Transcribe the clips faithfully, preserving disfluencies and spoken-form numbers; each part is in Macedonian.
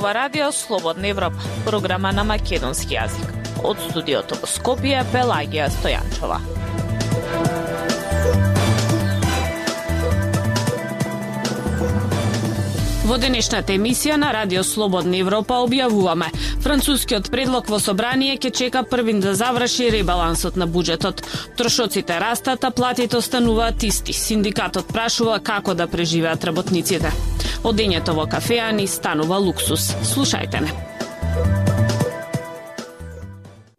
зборува Радио Слободна Европа, програма на македонски јазик. Од студиото во Скопје, Пелагија Стојанчова. Во денешната емисија на Радио Слободна Европа објавуваме: францускиот предлог во собрание ќе чека првин да заврши ребалансот на буџетот. Трошоците растат, а платите остануваат исти. Синдикатот прашува како да преживеат работниците. Одењето во кафеа ни станува луксус. Слушајте не.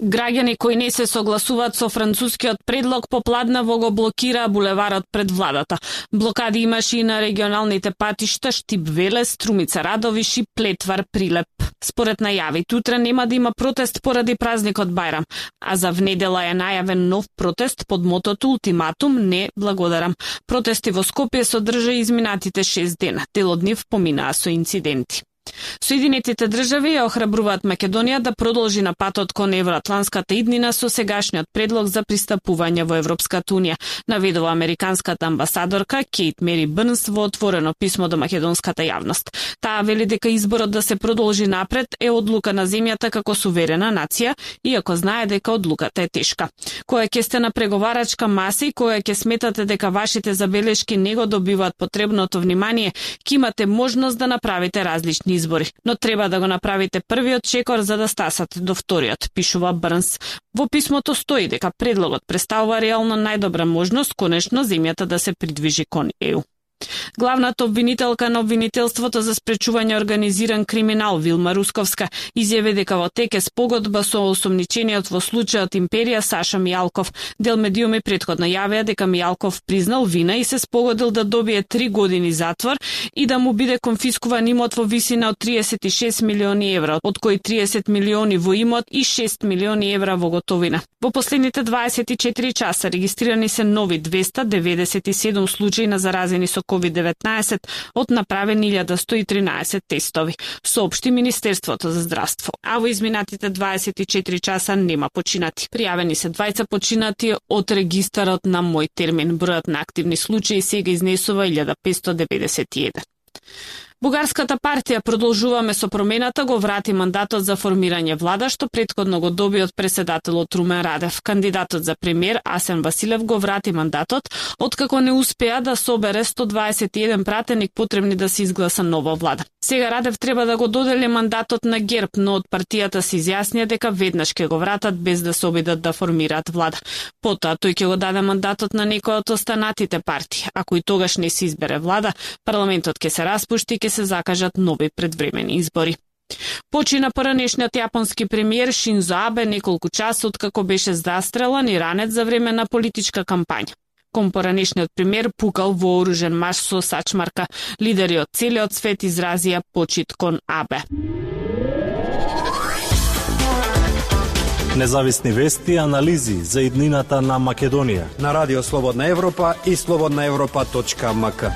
Граѓани кои не се согласуваат со францускиот предлог попладнево го блокираа булеварот пред владата. Блокади имаше и на регионалните патишта Штип Велес, Струмица Радовиш и Плетвар Прилеп. Според најавите, утре нема да има протест поради празникот Бајрам, а за внедела е најавен нов протест под мотото Ултиматум не благодарам. Протести во Скопје се одржаа изминатите шест дена. Дел од нив поминаа со инциденти. Соединетите држави ја охрабруваат Македонија да продолжи на патот кон евроатланската иднина со сегашниот предлог за пристапување во Европската унија, наведува американската амбасадорка Кейт Мери Бърнс во отворено писмо до македонската јавност. Таа вели дека изборот да се продолжи напред е одлука на земјата како суверена нација, иако знае дека одлуката е тешка. Која ќе сте на преговарачка маса и која ќе сметате дека вашите забелешки не го добиваат потребното внимание, ќе имате можност да направите различни избори, но треба да го направите првиот чекор за да стасате до вториот, пишува Брнс. Во писмото стои дека предлогот представува реално најдобра можност конечно земјата да се придвижи кон Е У. Главната обвинителка на обвинителството за спречување организиран криминал Вилма Русковска изјави дека во тек е спогодба со осомничениот во случајот Империја Саша Мијалков. Дел медиуми претходно јавија дека Мијалков признал вина и се спогодил да добие три години затвор и да му биде конфискуван имот во висина од триесет и шест милиони евра, од кои триесет милиони во имот и шест милиони евра во готовина. Во последните дваесет и четири часа регистрирани се нови двеста деветдесет и седум случаи на заразени со ковид деветнаесет од направени илјада сто и тринаесет тестови, соопшти Министерството за здравство. А во изминатите дваесет и четири часа нема починати. Пријавени се двајца починати од регистарот на Мој термин. Бројот на активни случаи сега изнесува илјада петстотини деветдесет и еден. Бугарската партија Продолжуваме со промената го врати мандатот за формирање влада, што претходно го доби од преседателот Румен Радев. Кандидатот за премиер Асен Василев го врати мандатот, откако не успеа да собере сто дваесет и еден пратеник потребни да се изгласа нова влада. Сега Радев треба да го додели мандатот на ГЕРБ, но од партијата се изјаснија дека веднаш ќе го вратат без да се обидат да формираат влада. Потоа тој ќе го даде мандатот на некој од останатите партии. Ако и тогаш не се избере влада, парламентот ќе се распушти и ќе се закажат нови предвремени избори. Почина поранешниот јапонски премиер Шинзо Абе неколку часа откако беше застрелан и ранет за време на политичка кампања. Кон поранешниот премиер пукал вооружен маж со сачмарка. Лидери од целиот свет изразија почит кон Абе. Независни вести и анализи за иднината на Македонија на Радио Слободна Европа и слободна европа точка ем ка.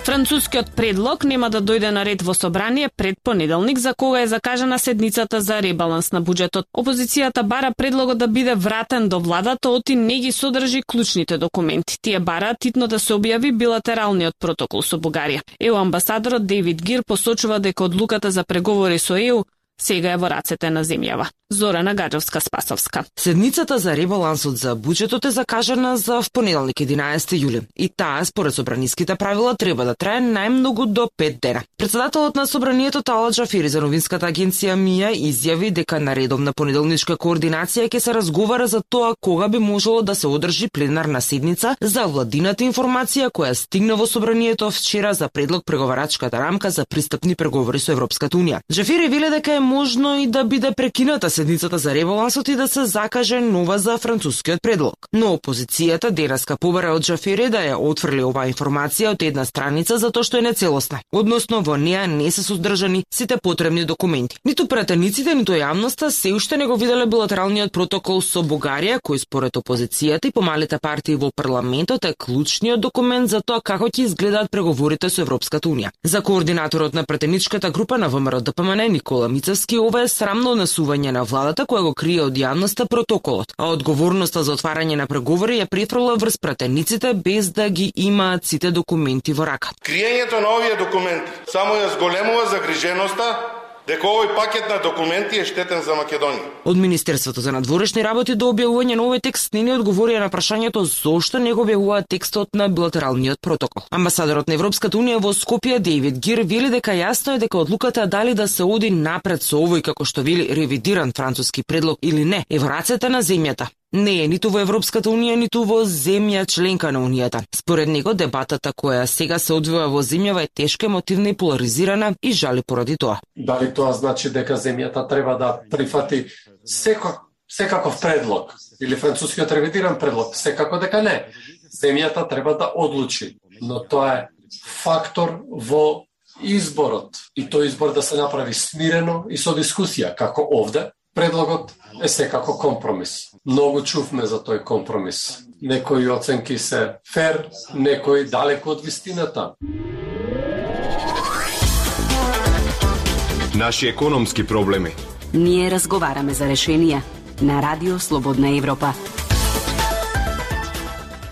Францускиот предлог нема да дојде на ред во собрание пред понеделник, за кога е закажана седницата за ребаланс на буџетот. Опозицијата бара предлогот да биде вратен до владата, оти не ги содржи клучните документи. Тие бара титно да се објави билатералниот протокол со Бугарија. Е У амбасадорот Дейвид Гир посочува дека одлуката за преговори со Е У сега е во рацете на земјава. Зорана Гаджевска-Спасовска. Седницата за ребалансот за буџетот е закажана за понеделник единаесети јули и таа според собраниските правила треба да трае најмногу до пет дена. Председателот на собранието Талат Джафери за новинската агенција МИА изјави дека на редовна понеделничка координација ќе се разговара за тоа кога би можело да се одржи пленарна седница за владината информација која стигна во собранието вчера за предлог преговарачката рамка за пристапни преговори со Европската унија. Джафери вели дека е можно и да биде прекината седницата за ребалансот и да се закаже нова за францускиот предлог. Но опозицијата денеска побара од Джафери да ја отфрли оваа информација од една страница затоа што е нецелосна. Односно во неа не се содржани сите потребни документи. Ниту пратениците, ниту јавноста се уште не го виделе билатералниот протокол со Бугарија, кој според опозицијата и помалите партии во парламентот е клучниот документ за тоа како ќе изгледаат преговорите со Европската унија. За координаторот на пратеничката група на ВМРО ДПМН Никола Мица Груцевски, ова е срамно однесување на владата која го крие од јавноста протоколот, а одговорноста за отварање на преговори ја префрла врз пратениците без да ги имаат сите документи во рака. Криењето на овие документи само ја зголемува загриженоста дека овој пакет на документи е штетен за Македонија. Од Министерството за надворешни работи до објавување на овој текст не ни одговорија на прашањето зошто не го објавуваат текстот на билатералниот протокол. Амбасадорот на Европската унија во Скопје Дејвид Гир вели дека јасно е дека одлуката дали да се оди напред со овој, како што вели, ревидиран француски предлог или не, е во рацете на земјата. Не е ниту во Европската унија, ниту во земја членка на унијата. Според него, дебатата која сега се одвива во земјава е тешка, емотивна и поларизирана и жали поради тоа. Дали тоа значи дека земјата треба да прифати секак, секаков предлог или францускиот ревидиран предлог? Секако дека не. Земјата треба да одлучи, но тоа е фактор во изборот и тој избор да се направи смирено и со дискусија, како овде. Предлогот е секако компромис. Многу чувме за тој компромис. Некои оценки се фер, некои далеко од вистината. Наши економски проблеми. Ние разговараме за решенија на Радио Слободна Европа.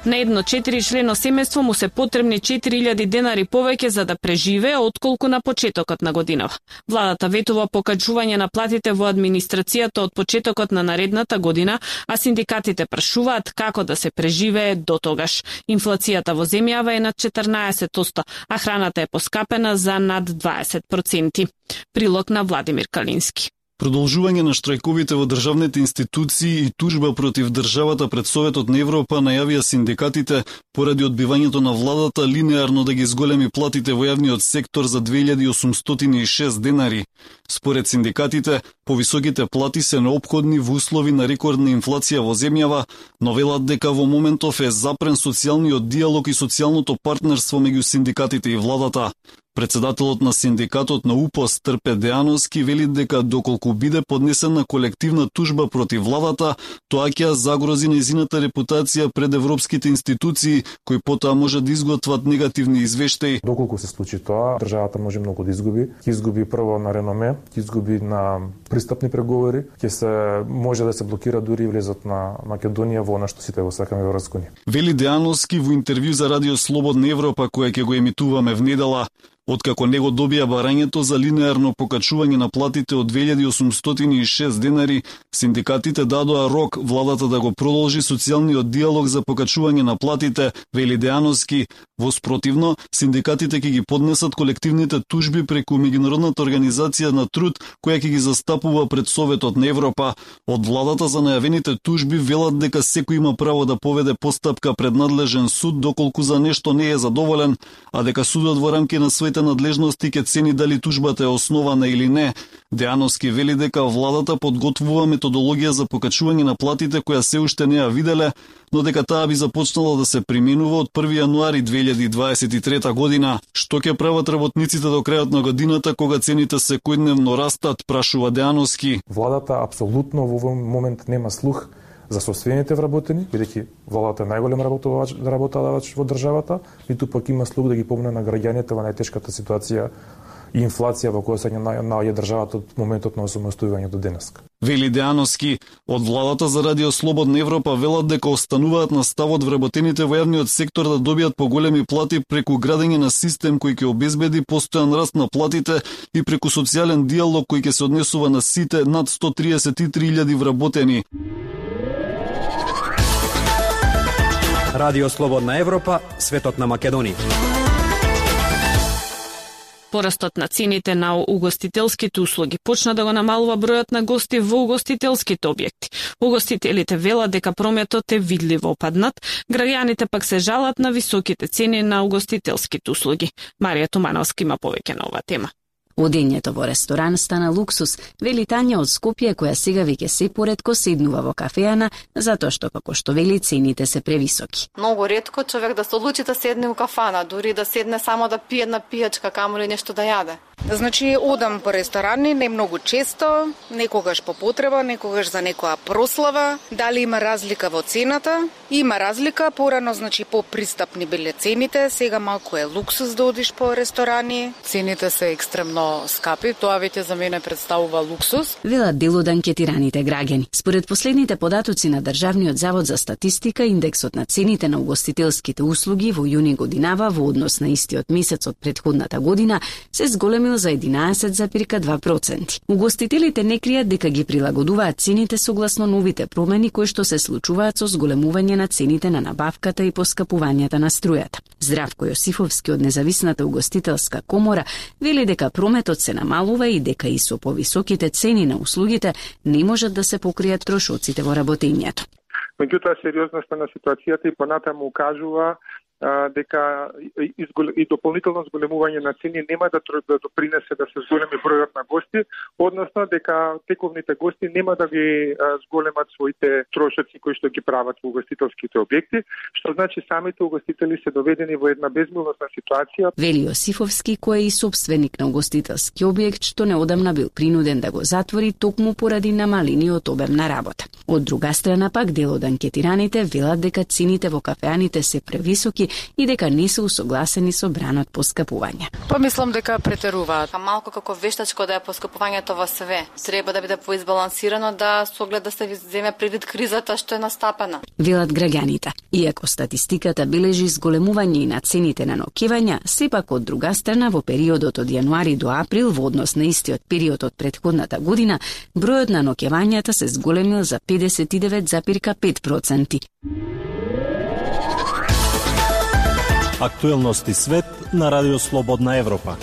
На едно четиричлено семејство му се потребни четири илјади денари повеќе за да преживее отколку на почетокот на годинава. Владата ветува покачување на платите во администрацијата од почетокот на наредната година, а синдикатите прашуваат како да се преживее до тогаш. Инфлацијата во земјава е над четрнаесет одсто, а храната е поскапена за над дваесет проценти. Прилог на Владимир Калински. Продолжување на штрајковите во државните институции и тужба против државата пред Советот на Европа најавија синдикатите поради одбивањето на владата линеарно да ги зголеми платите во јавниот сектор за две илјади осумстотини и шест денари. Според синдикатите, повисоките плати се неопходни во услови на рекордна инфлација во земјава, но велат дека во моментов е запрен социјалниот диалог и социјалното партнерство меѓу синдикатите и владата. Председателот на синдикатот на УПОС Трпе Деановски вели дека доколку биде поднесена колективна тужба против владата, тоа ќе загрози нејзината репутација пред европските институции, кои потоа може да изготват негативни извештаи. Доколку се случи тоа, државата може многу да изгуби. Ќе изгуби прво на реноме, ќе изгуби на пристапни преговори, ќе се може да се блокира дури и влезот на Македонија во она што сите го сакаме во Европска унија. Вели Деановски во интервју за Радио Слободна Европа, која ќе го емитуваме внедела. Откако не го добија барањето за линеарно покачување на платите од две илјади осумстотини и шест денари, синдикатите дадоа рок владата да го продолжи социјалниот диалог за покачување на платите, вели Деановски. Во спротивно, синдикатите ќе ги поднесат колективните тужби преку Меѓународната организација на труд, која ќе ги застапува пред Советот на Европа. Од владата за најавените тужби велат дека секој има право да поведе постапка пред надлежен суд доколку за нешто не е задоволен, а дека судот во рамки на своите надлежности ќе цени дали тужбата е основана или не. Деановски вели дека владата подготвува методологија за покачување на платите која се уште не ја виделе, но дека таа би започнала да се применува од први јануари две илјади дваесет и трета година. Што ќе прават работниците до крајот на годината кога цените секојдневно растат, прашува Деановски. Владата апсолутно во овој момент нема слух за собствените вработени, бидејќи владата е најголем работодавач, работодавач во државата, ниту пак има слух да ги помне на граѓаните во најтешката ситуација и инфлација во која се наоѓа државата од моментот на осамостојување до денеска. Вели Деановски, од владата за Радио Слободна Европа велат дека остануваат на ставот вработените во јавниот сектор да добијат поголеми плати преку градење на систем кој ќе обезбеди постојан раст на платите и преку социјален диалог кој ќе се однесува на сите над сто триесет и три илјади вработени. Радио Слободна Европа, светот на Македонија. Порастот на цените на угостителските услуги почна да го намалува бројот на гости во угостителските објекти. Угостителите велат дека прометот е видливо опаднат, граѓаните пак се жалат на високите цени на угостителските услуги. Марија Тумановска има повеќе на оваа тема. Одењето во ресторан стана луксус, вели Тања од Скопје, која сега веќе се поретко седнува во кафеана, затоа што, како што вели, цените се превисоки. Многу ретко човек да се одлучи да седне у кафана, дури да седне само да пие една пијачка, камо ли нешто да јаде. Значи, одам по ресторани, не многу често, некогаш по потреба, некогаш за некоја прослава. Дали има разлика во цената? Има разлика, порано, значи, попристапни биле цените, сега малку е луксус да одиш по ресторани. Цените се екстремно скапи, тоа веќе за мене представува луксус. Велат дел од анкетираните граѓани. Според последните податоци на Државниот завод за статистика, индексот на цените на угостителските услуги во јуни годинава во однос на истиот месец од претходната година се зголемил за единаесет зарез два проценти. Угостителите не кријат дека ги прилагодуваат цените согласно новите промени кои што се случуваат со зголемување на цените на набавката и поскапувањата на струјата. Здравко Јосифовски од Независната угостителска комора вели дека прометот се намалува и дека и со повисоките цени на услугите не можат да се покријат трошоците во работењето. Меѓутоа, сериозноста на ситуацијата и понатаму укажува дека и дополнително зголемување на цени нема да допринесе да се зголеми бројот на гости, односно дека тековните гости нема да ги зголемат своите трошоци кои што ги прават во угостителските објекти, што значи самите угостители се доведени во една безмилосна ситуација. Вели Јосифовски, кој е и собственик на угостителски објект, што неодамна бил принуден да го затвори токму поради намалениот обем на работа. Од друга страна пак дел од анкетираните велат дека цените во кафеаните се превисоки и дека не се усогласени со бранот поскапување. Па мислам дека претеруваат. Малку како вештачко да е поскапувањето во све. Треба да биде поизбалансирано да со оглед да се земе предвид кризата што е настапена. Велат граѓаните. Иако статистиката бележи зголемување и на цените на ноќевања, сепак од друга страна во периодот од јануари до април во однос на истиот период од претходната година, бројот на ноќевањата се зголемил за педесет и девет зарез пет проценти. Актуелности свет на Радио Слободна Европа.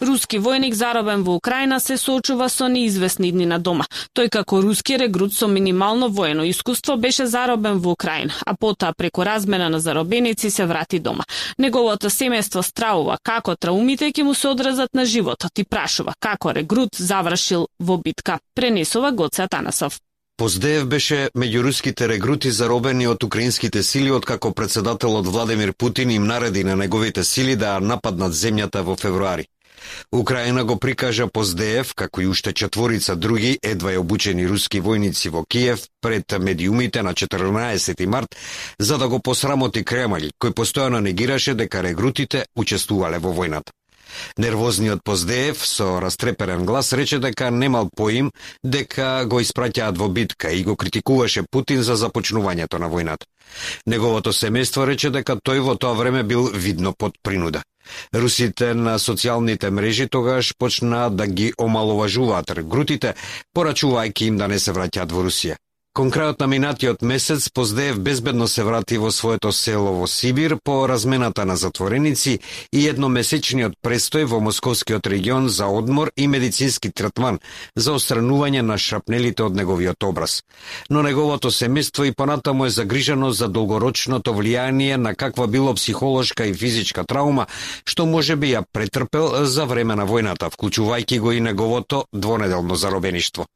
Руски војник заробен во Украина се соочува со неизвестни дни на дома. Тој како руски регрут со минимално воено искуство беше заробен во Украина, а потоа преку размена на заробеници се врати дома. Неговото семејство стравува како траумите ќе му се одразат на животот и прашува како регрут завршил во битка. Пренесува Гоце Атанасов. Поздеев беше меѓу руските регрути заробени од украинските сили откако председателот Владимир Путин им нареди на неговите сили да нападнат земјата во февруари. Украина го прикажа Поздеев, како и уште четворица други едва и обучени руски војници во Киев пред медиумите на четрнаесети март, за да го посрамоти Кремљ, кој постојано негираше дека регрутите учествувале во војната. Нервозниот Поздеев со растреперен глас рече дека немал поим дека го испраќаат во битка и го критикуваше Путин за започнувањето на војната. Неговото семејство рече дека тој во тоа време бил видно под принуда. Русите на социјалните мрежи тогаш почнаа да ги омаловажуваат регрутите, порачувајќи им да не се враќаат во Русија. Кон крајот на минатиот месец Поздеев безбедно се врати во своето село во Сибир по размената на затвореници и едномесечниот престој во Московскиот регион за одмор и медицински третман за отстранување на шрапнелите од неговиот образ. Но неговото семејство и понатаму е загрижено за долгорочното влијание на каква било психолошка и физичка траума што можеби ја претрпел за време на војната, вклучувајќи го и неговото двонеделно заробеништво.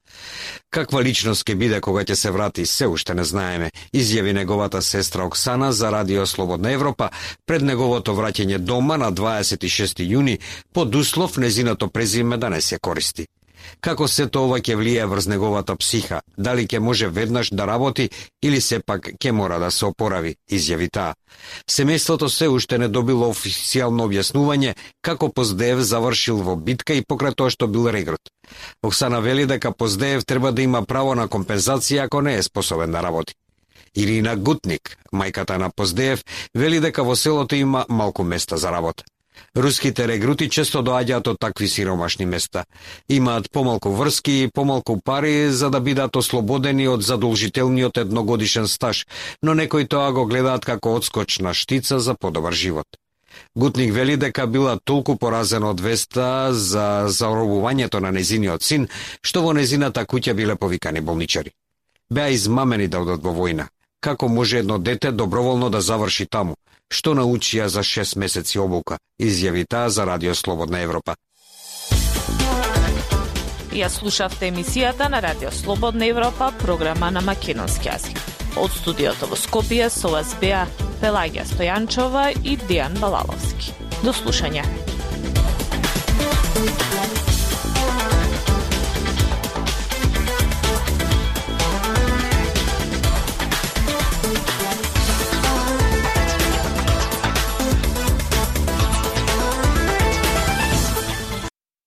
Каква личност ќе биде кога ќе се врати, се уште не знаеме, изјави неговата сестра Оксана за Радио Слободна Европа пред неговото враќање дома на дваесет и шести јуни, под услов незиното презиме да не се користи. Како сето ова ќе влијае врз неговата психа, дали ќе може веднаш да работи или сепак ќе мора да се опорави, изјави таа. Семејството се уште не добило официјално објаснување како Поздеев завршил во битка и покрај тоа што бил регрут. Оксана вели дека Поздеев треба да има право на компензација ако не е способен да работи. Ирина Гутник, мајката на Поздеев, вели дека во селото има малку места за работа. Руските регрути често доаѓаат од такви сиромашни места. Имаат помалку врски и помалку пари за да бидат ослободени од задолжителниот едногодишен стаж, но некои тоа го гледаат како одскочна штица за подобар живот. Гутник вели дека била толку поразена од веста за заробувањето на незиниот син, што во незината куќа биле повикани болничари. Беа измамени да одат во војна. Како може едно дете доброволно да заврши таму? Што научија за шест месеци обука, изјави таа за Радио Слободна Европа. Ја слушавте емисијата на Радио Слободна Европа, програма на македонски јазик. Од студиото во Скопје со вас беа Пелагија Стојанчова и Дејан Балаловски. До слушање.